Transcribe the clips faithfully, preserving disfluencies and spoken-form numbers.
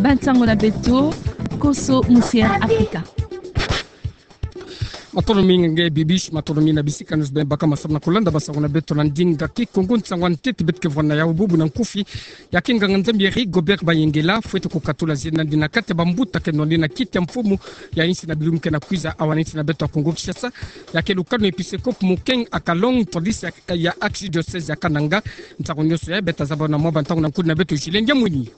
Ba ntangu na beto, Koso Musier Afrika. Matondo mingi nge Bibiche, matondo mingi na bisika nyonso beno baka masamu na kulanda basango na beto na ndinga Kikongo. Nsangu ya ntete beto ke vwanda na yawu bubu na nkufi, ya ke nganga-Nzambi Rigobert Bayengela, fwete kukatula zina nandi na kati ya bambuta ke nwanina kiti ya mfumu ya insi na bilumbu ke na kwiza, awa na insi na beto ya Kongo Kinshasa, ya ke lukanu episkopo Mukeng Akalong, ntwadisi ya, ya archidiocèse ya Kananga. Nsangu nyonso yayi beto ta zaba na mwa bantangu na nkundi na beto Julien Diamwini.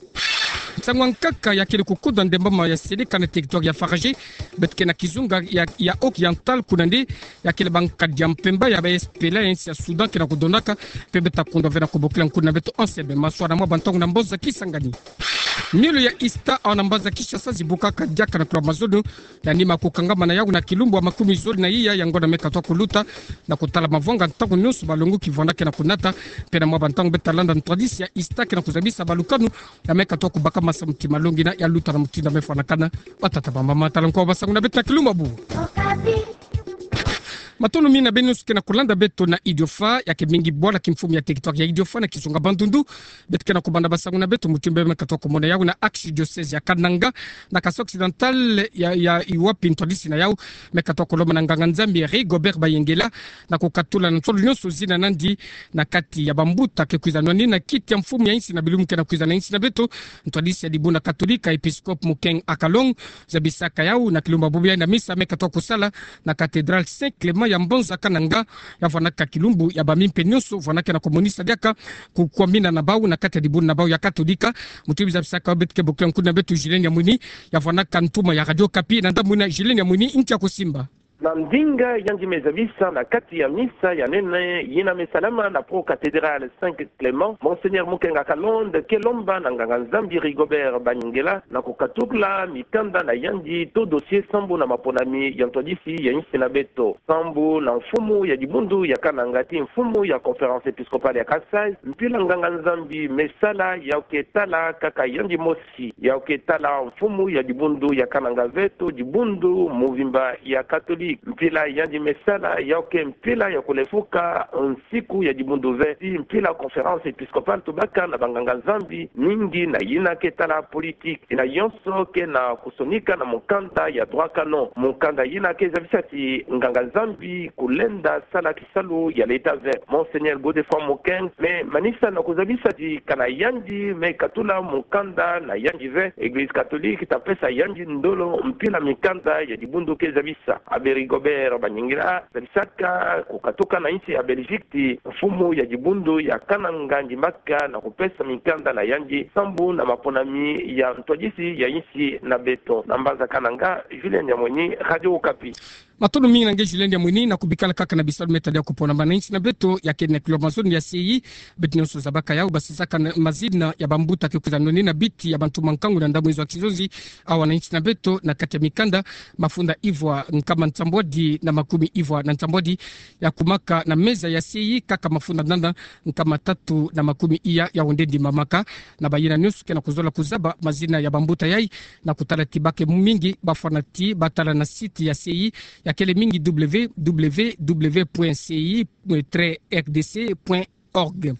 Nsangu ya nkaka ya kele kukoda ndembama ya seleka na territoire ya Faradje, beto ke na kizunga ya, ya Oriental, kuna nde ya kele bankadi ya mpemba ya ba S P L A ya insi ya Soudan ke na kudonaka, mpe beto ta kundwa ve na kubokila nkundi na beto O C B. Maswala mwa bantangu na mboza Kisangani. Miolo ya Easter awa na mbanza Kinshasa zibukaka diaka na kula mazono, ya nima kukangama na yawu na kilumbu ya makumi zole na iya ya ngonda me katuka kuluta, na kutala mavwanga ntangu nyonso balongo kivwanda ke na kunata. Mpe na mwa bantangu beto ta landa ntwadisi ya Easter ke na kuzabisa balukanu, ya me katuka kubaka masamu ti malongi na ya luta na mutindu ya me fwanakana. Batata, bamama, tala nkwa basango na beto na kilumbu ya bubu. Matondo mingi na beno nyonso ke na kulanda beto na Idiofa, ya ke mingi bwala kimfumu ya territoire ya Idiofa na kizunga Bandundu. Beto ke na kubanda basango na beto mutindu ya me katuka kumona yawu na archidiocèse ya Kananga, na Kasai Occidental ya, ya wapi ntwadisi na yawu me katuka kulomba na nganga-Nzambi Rigobert Bayengela, na kukatula na nsolo nyonso zina nandi na kati ya bambuta ke kwiza nwanina kiti ya mfumu ya insi na bilumbu ke na kwiza na insi na beto. Ntwadisi ya dibundu Katolika, episkopo Mukeng Akalong, zabisaka yawu na kilumbu ya bubu yayi na misa me katuka kusala na cathédrale Saint Clément ya mbanza Kananga, ya vwanaka kilumbu ya bamimpe nyonso vwanaka na kumonisa diaka kukwamina na bawu na kati ya dibundu na bawu ya Katolika. Mutindu zabisaka yawu beto ke bokila nkundi na beto Julien Diamwini, ya vwanaka ntuma ya Radio Okapi, na ndambu yina Julien Diamwini, nki ya kusimba. Na ndinga yandi me zabisa na kati ya misa ya nene yina me salama na pro-cathédrale Saint Clément, Monseigneur Mukeng Akalong ke lomba na nganga-Nzambi Rigobert Bayengela na kukatula mikanda na yandi to dossier sambu na maponami ya ntwadisi ya insi na beto, sambu na mfumu ya dibundu ya Kananga ti mfumu ya Conférence Épiscopale ya Kasaï. Mpila nganga-Nzambi me sala, yawu ke tala kaka yandi mosi, yawu ke tala mfumu ya dibundu ya Kananga ve to dibundu mobimba ya Katolika. Mpila yandi me sala, yawu ke mpila ya kulefuka nsiku ya dibundu ve, ti mpila Conférence Épiscopale tubaka na banganga-Nzambi mingi na yina ke tala politique, yina yonso ke na kusonika na mukanda ya droit canon, mukanda yina ke zabisa ti nganga-Nzambi kulenda sala kisalu ya l'État ve. Monseigneur Godefroid Mukeng me manisa na kuzabisa ti kana yandi me katula mukanda na yandi ve, Église catholique ta pesa yandi ndolo mpila mikanda ya dibundu ke zabisa. Abbé Rigobert Bayengela zabisaka kukatuka na insi ya Belgique ti mfumu ya dibundu ya Kananga ndimbaka na kupesa mikanda na yandi sambu na maponami ya ntwadisi ya insi na beto. Na mbanza Kananga, Julien Diamwini, Radio Okapi. Matondo mingi na nge Julien Diamwini, na kubikala kaka na bisalu me tadidi ya kuponama na insi na beto. Ya kele na kilomètre ya C I, beto nyonso zabaka yawu, basisaka na mazina ya bambuta ke kwiza nwanina biti ya bantu mankangu na ndambu nzo ya kizonzi, awa na insi na beto, na kati ya mikanda, mafunda ivwa nkama nsambwadi na makumi ivwa na nsambwadi ya kumaka na meza ya C I, kaka mafunda nana nkama tatu na makumi iya ya ondendi mamaka. Na bayina nyonso ke na kuzola kuzaba mazina ya bambuta yayi, na kutala ti ba ke mingi bafwana ti batala na site ya C I, ya kele mingi, W W W point C I trait R D C point org.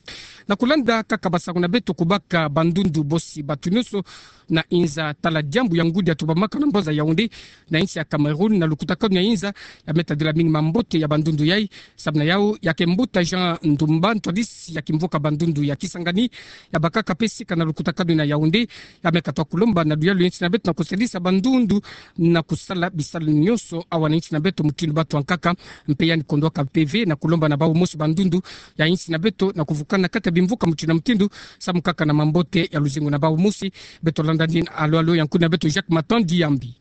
Na kulanda kaka basango na beto, kubaka bandundu bosi, batu nyonso na inza tala diambu ya ngudi ya tubamaka na mbanza Yaoundé, na insi ya Cameroun, na lukutakanu ya inza, ya me tadila mingi mambote ya bandundu yayi. Samu na yawu, ya ke mbuta Jean Ndumba, ntwadisi ya kimvuka bandundu ya Kisangani, ya bakaka mpe sika na lukutakanu na Yaoundé, ya me katuka kulomba na luyalu ya insi na beto na kusadisa bandundu na kusala bisalu nyonso awa na insi na beto mutindu batu ya nkaka. Mpe yandi kondwaka mpe ve na kulomba na bawu mosi bandundu ya insi na beto na kuvukana kati ya bimvuka mutindu na mutindu, samu kaka na mambote ya luzingu na bawu mosi. Beto landa nini alo-alo ya nkuni na beto Jacques Matandi Yambi.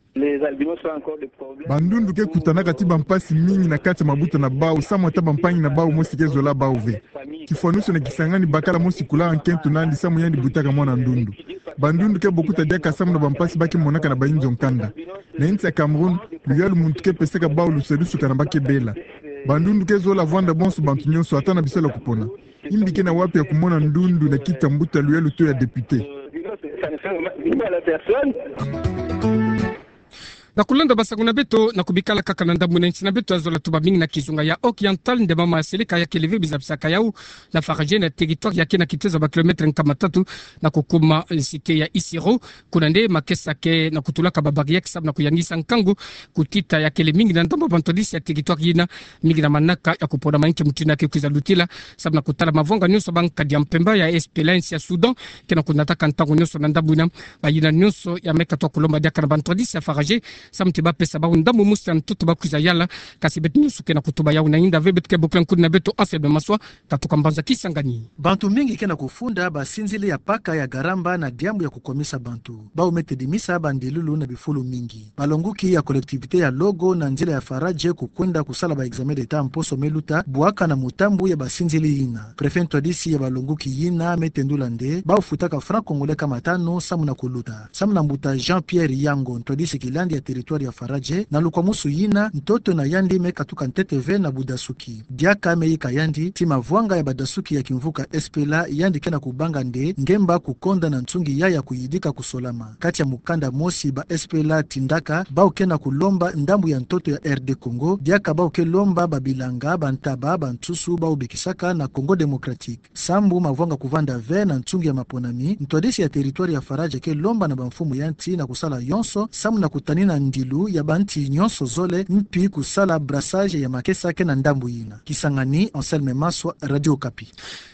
Bandundu ke kutanaka ti bampasi mingi na kati ya mabuta na bawu, samu ata bampangi na bawu mosi ke zola bawu ve. Kifwanusu na Kisangani, bakala mosi kulaka nkento nandi samu yandi butaka mwana ndundu. Bandundu ke bokuta diaka samu na bampasi ba ke monaka na bayinzo nkanda. Na insi ya Cameroun, luyalu muntu ke pesaka bawu lusadusu kana ba ke bela. Bandundu ke zola vwanda bonso bantu nyonso, ata na bisalu ya kupona. Imbi ke na wapi ya kumona ndundu na kiti ya mbuta, luyalu to ya député? Na kulanda basango na beto, na kubikala kaka na ndambu na insi na beto ya zola tuba mingi na kizunga ya Oriental, nde mama ya seleka ya kele ve bizabisaka yau na Faradje na territoire ya ke na kitezo ya ba kilomètre nkama tatu na kukuma, eh, cité ya Isiro. Kuna nde makesa ke na kutulaka ba barrière samu na kuyangisa nkangu kutita ya kele mingi na ndambu ya bantwadisi ya territoire yina, mingi na manaka ya kupona maninke mutindu ya ke kwiza lutila samu na kutala mavwanga nyonso ba nkadi ya mpemba ya S P L A, insi ya Soudan ke na kunataka ntangu nyonso na ndambu yina. Bayina nyonso ya me katuka kulomba diaka na bantwadisi ya Faradje samu ti bapesa bau ndambu mosi ya ntoto ba kwiza yala. Kasi beto nyonso ke na kutuba yau na inda ve, beto ke bokila nkuni na beto Anselme Maswa, tatuka mbanza Kisangani. Bantu mingi ke na kufunda basinzili ya paka ya Garamba na diambu ya kukomisa bantu. Bau me tedimisa bandilulu na bifulu mingi. Balonguki ya collectivité ya Logo na nzila ya Faradje kukwenda kusala ba examen d'État mposo me luta, bwaka na mutambu ya basinzili yina. Préfet ntwadisi ya balonguki yina me tendula nde bau futaka franc congolais nkama tanu samu na kuluta. Samu na mbuta Jean-Pierre Yango, ntwadisi kilandi ya territoire ya Faradje, na lukwamusu yina, ntoto na yandi me katuka ntete ve na budasuki. Diaka me yika yandi ti mavwanga ya badasuki ya kimvuka S P L A yandi ke na kubanga nde ngemba kukonda na nsungi ya ya kuyidika kusolama. Kati ya mukanda mosi ba S P L A tindaka, bau ke na kulomba ndambu ya ntoto ya R D Congo, diaka bau ke lomba babilanga, bantaba, bansusu bau bikisaka na Congo Démocratique. Sambu mavwanga kuvanda ve na nsungi ya maponami, ntwadisi ya territoire ya Faradje ke lomba na bamfumu ya nsi na kusala yonso samu na kutanina ndilu ya bansi nyonso zole, mpi kusala brassage ya makesa ke na ndambu yina. Kisangani, Anselme Maswa, Radio Okapi.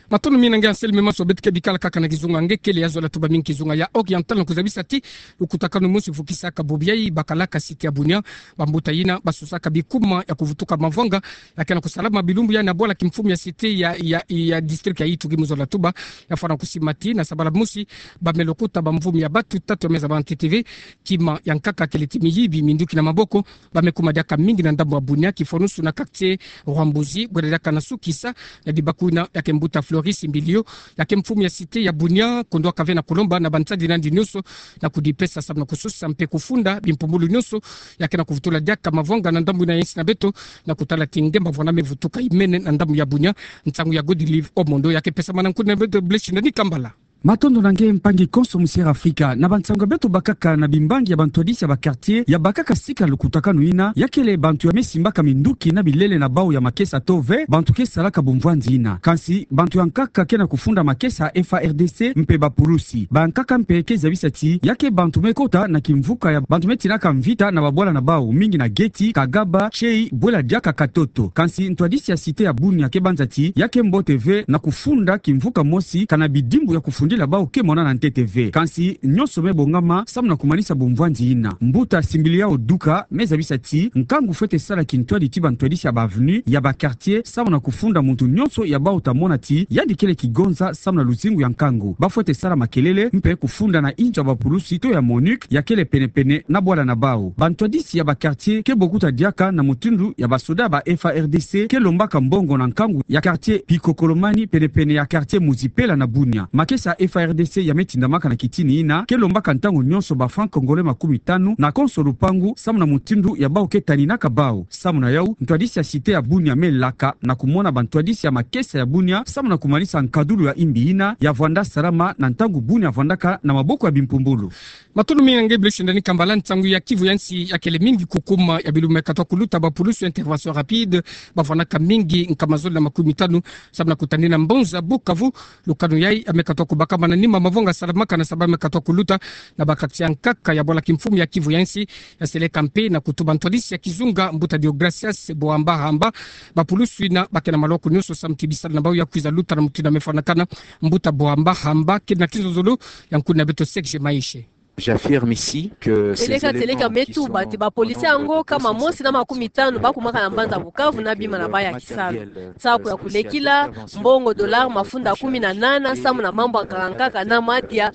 Matondo mingi na nge Anselme Maswa. Beto ke bikala kaka na kizunga nge kele ya zola tuba mingi, kizunga ya Oriental, na kuzabisa ti lukutakanu mosi vukisaka bobiai bakalaka cité ya Bunia. Bambuta yina basusaka bikuma ya kuvutuka mavwanga ya ke na kusalama bilumbu ya na bwala kimfumu ya cité ya, ya, ya district ya Ituri mu zola tuba. Ya fwana kusimba ti na sabala mosi ba me lokuta bamvumi ya batu tatu ya me zaba ntete ve. Kima ya nkaka kele ti miyibi minduki na maboko. Ba me kuma diaka mingi na ndambu ya Bunia, kifwanusu na quartier Rwambuzi, bwela diaka na sukisa na dibaku yina. Ya ke mbuta Floris Mbilio, ya ke mfumu ya cité ya Bunia, kondwaka ve na kulomba na bansadi na yandi nyonso na kudipesa samu na kususa mpe kufunda bimpumbulu nyonso ya ke na kuvutula diaka mavwanga na ndambu yina ya insi na beto, na kutala ti ngemba vwanda me vutuka imene na ndambu ya Bunia. Nsangu ya Godilive Omondo ya ke pesama na nkuni na beto Blaise Shindani Kambala. Matondo na nge mpangi konso Musière Afrika. Na bansangu ya beto bakaka na bimbangi ya bantwadisi ya ba quartier ya bakaka sika lukutakanu yina, ya kele bantu ya me simbaka minduki na bilele na bau ya makesa to ve bantu ke salaka bumvwandi yina. Kansi bantu ya nkaka ke na kufunda makesa ya F A R D C mpe bapulusi. Bankaka mpe ke zabisa ti ya ke bantu me kota na kimvuka ya bantu me tinaka mvita na babwala na bau, mingi na Geti, Kagaba, Tshei, bwela diaka Katoto. Kansi ntwadisi ya cité ya Bunia ke banza ti ya ke mbote ve na kufunda kimvuka mosi kana bidimbu ya kufundila bau ke monana ntete ve. Kansi nyonso me bongama samu na kumanisa bumvwandi yina. Mbuta Simbiliao Duka me zabisa ti nkangu fwete sala kintwadi ti bantwadisi ya ba avenue, ya ba quartier, samu na kufunda muntu nyonso ya bau ta mona ti yandi kele kigonza samu na luzingu ya nkangu. Ba fwete sala makelele mpe kufunda na inzo ya bapulusi to ya MONUC ya kele penepene na bwala na bau. Bantwadisi ya ba quartier ke bokuta diaka na mutindu ya basoda ya ba F A R D C ke lombaka mbongo na nkangu ya quartier Pikokolomani, penepene ya quartier Muzipela na Bunia. Makesa ya F A R D C ya me tindamaka na kitini yina ke lombaka ntangu nyonso ba francs congolais makumi tanu na konso lupangu, samu na mutindu ya bau ke taninaka bau. Samu na yau, ntwadisi ya cité ya Bunia me laka na kumona bantwadisi ya makesa ya Bunia samu na kumanisa nkadulu ya imbi yina ya vwanda salama na ntangu Bunia vwandaka na maboko ya bimpumbulu. Matondo mingi na nge Blaise Shindani Kambala. Nsangu ya Kivu ya nsi ya kele mingi kukuma ya bilumbu me katuka kuluta. Bapulusu ya intervention rapide ba vwandaka mingi nkama zole na makumi tanu samu na kutanina mbonza Bukavu. Lukanu yai ya me katuka kubakama na nima mavwanga salamaka na saba me katuka kuluta na ba quartier ya nkaka ya bwala kimfumu ya Kivu ya nsi. Ya seleka mpe na kutuba ntwadisi ya kizunga, mbuta Deogracias Boamba Hamba. Bapulusu yina ba ke na maloko nyonso samu ti bisalu na bau ya kwiza luta na mutindu ya me fwanakana. Mbuta Boamba Hamba, ke na kinzonzolo ya nkuni na beto Serge Maeshe. J'affirme ici que ces éléments qui sont en nombre de... Seleka, seleka me tuba ti bapolisi yango nkama mosi na makumi tanu ba kumaka na mbanza Bukavu na bima na bau ya kisalu. Saku ya kulekila, mbongo dollar mafunda kumi na nana samu na mambu ya nkaka nkaka na madia.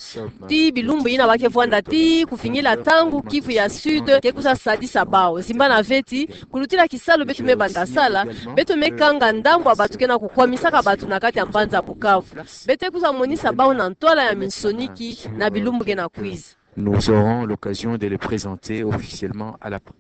Ti bilumbu yina ba ke vwanda ti kuvingila ntangu Kivu ya Sud ke kwiza sadisa bau. Zimbana ve ti kulutila kisalu beto me banda sala, beto me kanga ndambu ya bantu ke na kukwamisaka bantu na kati ya mbanza Bukavu. Beto kwiza monisa bau na ntwala ya minsoni na bilumbu ke na kwiza. Nous aurons l'occasion de les présenter officiellement à la presse.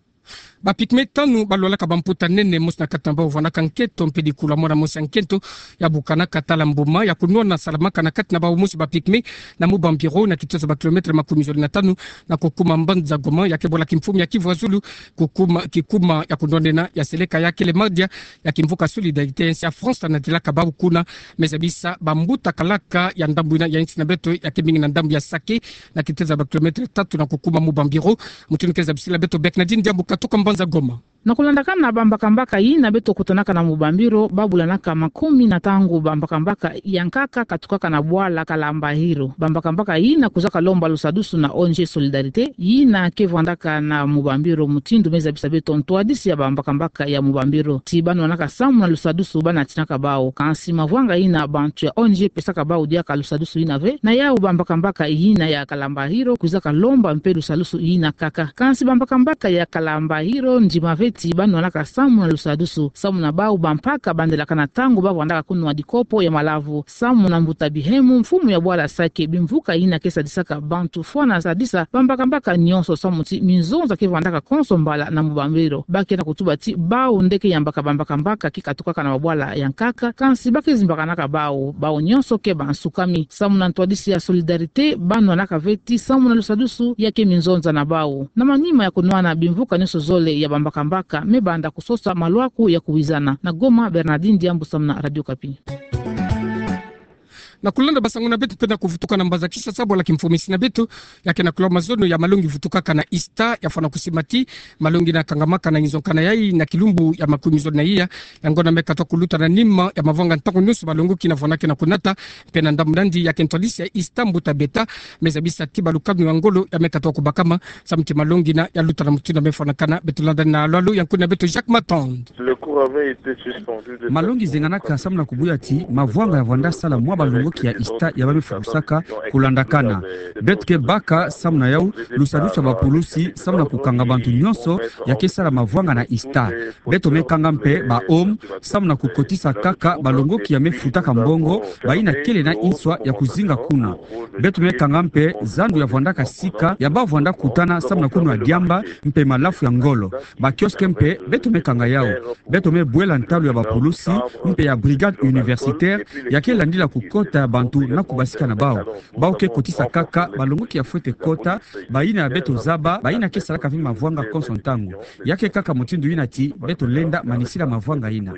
Ba pygmée tanu balwalaka bamputa nene mosi na kati na bau vwanaka nketo mpe dikula mwana mosi ya nkento ya bukanaka tala mbuma ya kunwana salamaka na kati na bau mosi ba pygmée na Mubambiro na kitoto ba kilometre makumi zole na tanu na kukuma mbanza Goma, ya ke bwala kimfumu ya Kivu ya Zulu, kukuma, kikuma ya kunwanena ya seleka ya kele madia ya kimvuka Solidarité, nsi ya France na dilaka bau kuna. Me zabisa bambuta kalaka ya ndambu ina ya nsi na beto ya ke mingi na ndambu ya Sake, na kitezo ba kilometre tatu na kukuma Mubambiro. Mutindu ke zabisila beto Bernardine Diambu katuka mbanza Goma. Na kulandakana bambakambaka yina beto kutanaka na Mubambiro, babulanaka makumi na tango bambakambaka ya nkaka katukaka na bwala Kalambahiro. Bambakambaka yina kwizaka lomba lusadusu na O N G Solidarité, yina ke vwandaka na Mubambiro. Mutindu me zabisa beto ntwadisi ya bambakambaka ya Mubambiro, ti banwanaka samu na lusadusu banatinaka bau. Kansi mavwanga yina bantu ya O N G pesaka bau diaka lusadusu yina ve. Na yau bambakambaka yina ya Kalambahiro kwizaka lomba mpe lusadusu yina kaka. Kansi bambakambaka ya Kalambahiro ndima ve ti banwanaka samu na lusadusu, samu na bau bampaka bandelakana tango bavwandaka kunwa dikopo ya malavu. Samu na mbuta Bihemu, mfumu ya bwala Sake, bimvuka yina ke sadisaka bantu fwana sadisa bambakambaka nyonso, samu ti minzonza ke vwandaka konso mbala na Mubambiro. Ba ke na kutuba ti bau nde ke yambaka bambakambaka ke katukaka na mabwala ya nkaka, kansi ba ke zimbakanaka bau, bau nyonso ke bansukami. Samu na ntwadisi ya Solidarité, banwanaka ve ti samu na lusadusu ya ke minzonza na bau. Na manima ya kunwana, bimvuka nyonso zole ya bambakambaka me banda kusosa malwaku ya kuwizana. Na Goma, Bernardine Diambu samu na Radio Okapi. Na kulanda basango na beto mpe na kuvutuka na mbanza Kinshasa, bwala kimfumu ya nsi na beto ya ke na kulama zono ya malongi vutukaka na Ista, ya fwana kusima ti malongi ina kangamaka na inzo nkana yai na kilumbu ya makumi zole na iya ya ngonda me katoka kuluta na nima ya mavwanga ntangu nyonso balongoki na vwana ke na kunata. Mpe na ndambu nandi ya ke ntwadisi ya Ista, mbuta Beta, me zabisa ti balukanu ya ngolo ya me katoka kubakama samu ti malongi ina ya luta na mutindu me fwanakana. Beto landa na lwalu ya nkuni na beto Jacques Matonde. Malongi zenganaka samu na kubuya ti mavwanga ya vwanda sala mwa balongoki ya Ista ya ba me fukusaka kulandakana. Beto ke baka samu na yau lusadusu ya bapulusi samu na kukanga bantu nyonso ya ke sala mavwanga na Ista. Beto me kanga mpe ba home samu na kukotisa kaka balongoki ya me futaka mbongo, bayina kele na inswa ya kuzinga kuna. Beto me kanga mpe zandu ya vwandaka sika ya ba vwanda kutana samu na kunwa diamba mpe malafu ya ngolo. Ba kiosque mpe beto me kanga yau. Beto me bwela ntalu ya bapulusi mpe ya brigade universitaire ya ke landila kukota ya bantu na kubasika na bau. Bau ke kotisa kaka balongoki ya fwete kota, bayina ya beto zaba, bayina ke salaka ve mavwanga konso ntangu. Ya ke kaka mutindu yina ti beto lenda manisila mavwanga yina.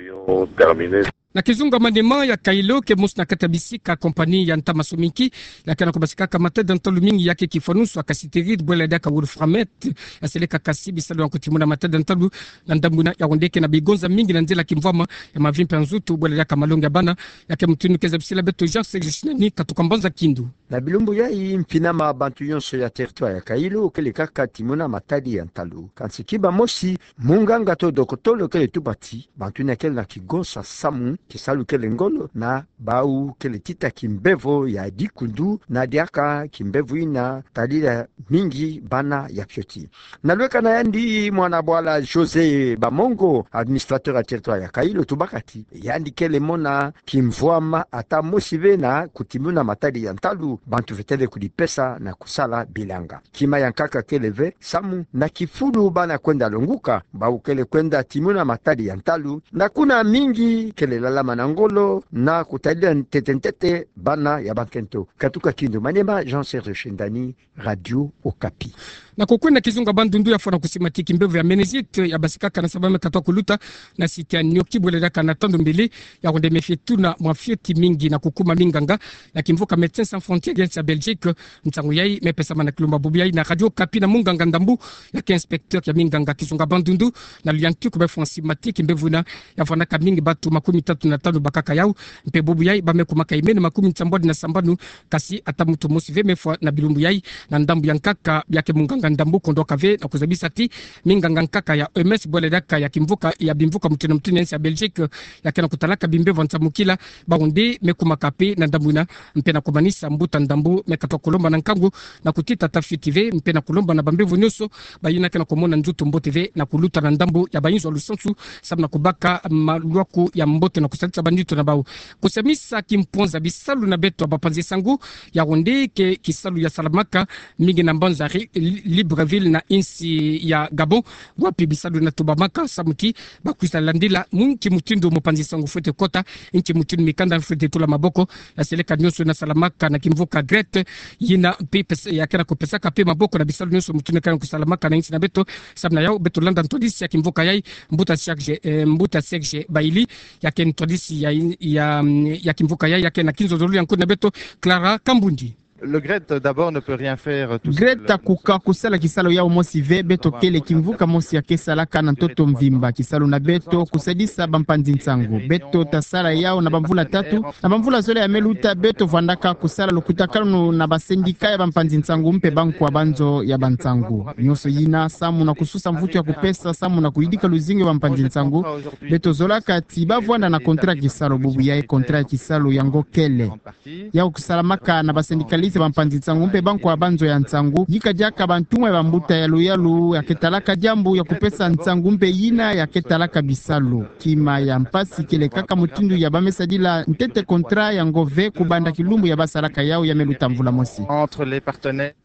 Na kizunga manima ya Kailo, ke mosi na kati ya bisika compagnie ya ntama sominki ya ke na kubasikaka matadi ya ntalu mingi, ya ke kifwanusu ya Cassiterie bwela diaka Wolframette, ya seleka kasi bisalu ya kutimuna matadi ya ntalu na ndambu ina ya Yaoundé, ke na bigonza mingi na nzila kimvwama ya mavimpi ya nzutu bwela diaka malongi ya bana. Ya ke mutindu ke zabisila beto Jean Serge Shinani katuka mbanza Kindu. Na bilumbu yai, mpinama bantu nyonso ya territoire ya Kailo kele kaka timuna matadi ya ntalu. Kansi kiba mosi, munganga to dokotolo kele tuba ti bantu yina kele na kigonsa samu, kisalu kele ngolo, na bau kele tita kimbevo ya dikundu, na diaka kimbevo yina tadila mingi bana ya fioti. Na lweka na yandi, mwana bwala José Bamongo, administrateur ya territoire ya Kailo, tubaka ti yandi kele mona kimvwama ata mosi ve na kutimuna matadi ya ntalu, bantu vetele kudipesa na kusala bilanga. Kima ya nkaka kele ve samu na kifulu bana kwenda longuka, bau kele kwenda timuna matadi ya ntalu, na kuna mingi kele lalama na ngolo na kutadila ntete ntete bana ya bankento. Katuka Kindu, Maniema, Jean Serge Shinani, Radio Okapi. Na kokwenda kizunga Bandundu, ya fwana kusima ti kimbevo ya méningite ya basikaka na saba me katoka kuluta na site ya Nioki bwela diaka na tandu mbele ya Yaoundé me fie tuna mwa fioti mingi na kukuma minganga ya kimvuka Médecins Sans Frontières ya nsi ya Belgique. Nsangu yai me pesama na kilumbu bubu yai na Radio Okapi na munganga ndambu ya ke inspecteur ya minganga kizunga Bandundu, na Luyantiku, me fwa nsima ti kimbevo yina ya vwanaka mingi, batu makumi tatu na tanu bakaka yau. Mpe bubu yai ba me kumaka imene makumi nsambwadi na sambanu, kasi ata muntu mosi ve me fwa na bilumbu yai. Na ndambu ya nkaka, ya ke munganga ndambu, kondoka ve na kuzabisa ti minganga nkaka ya O M S bwela diaka ya kimvuka, ya bimvuka mutinu mutinu ya nsi ya Belgique, ya ke na kutalaka bimbevo ya nsamukila, bau nde me kumaka mpe na ndambu yina, mpe na kumanisa mbuta ndambu me katoa kulomba na nkangu na kutita tafioti ve, mpe na kulomba na bambevo nyonso bayina ke na kumona nzoto mbote ve na kuluta na ndambu ya bayinzo ya lusansu, samu na kubaka maluaku ya mbote na kusadisa banito na bau. Kusamisa kimpwanza bisalu na beto ya bampanzi nsangu, ya wonde ke kisalu ya salamaka mingi na mbanza Ri-, Li-, Libreville na insi ya Gabon, wapi bisalu na tubamaka samu ti bakwiza landila mu nki mutindu mpanzi nsangu fwete kota, nki mutindu mikanda fwete tula maboko, na seleka nyonso na salamaka na kimvuka Grete, yina mpe pes-, ya ke na kupesaka mpe maboko na bisalu nyonso mutindu ke na kusalamaka na insi na beto. Samu na yau, beto landa ntwadisi ya kimvuka yai, mbuta Serge, eh, mbuta Serge Bailly, ya ke ntwadisi ya, ya, ya kimvuka yai, ya ke na kinzonzolo ya nkundi na beto, Clara Kambundi. Le Grete, d'abord, ne peut rien faire, euh, tout seul. Grete akuka kusala kisalu yau mosi ve, beto kele kimvuka mosi ya ke salaka na ntoto mvimba. Kisalu na beto kusadisa bampanzi nsangu. Beto tasala yau na bamvula tatu, na bamvula zole ya me luta, beto vwandaka kusala lukutakanu na basendika ya bampanzi nsangu mpe bankwa banzo ya bansangu. Nyonso yina samu na kususa mvutu ya kupesa, samu na kuyidika luzingu ya bampanzi nsangu. Beto zolaka ti bavwanda na kontra ya kisalu, bubu yai kontra ya kisalu yango kele. Yau kusalamaka na basendikalisti ya bampanzi nsangu mpe bankwa banzo ya nsangu, yika diaka bantumwa ya bambuta ya luyalu ya ke talaka diambu ya kupesa nsangu mpe yina ya ke talaka bisalu. Kima ya mpasi kele kaka mutindu ya ba me sadila ntete kontra yango ve kubanda kilumbu ya basalaka yau ya me luta mvula mosi. Entre les partenaires.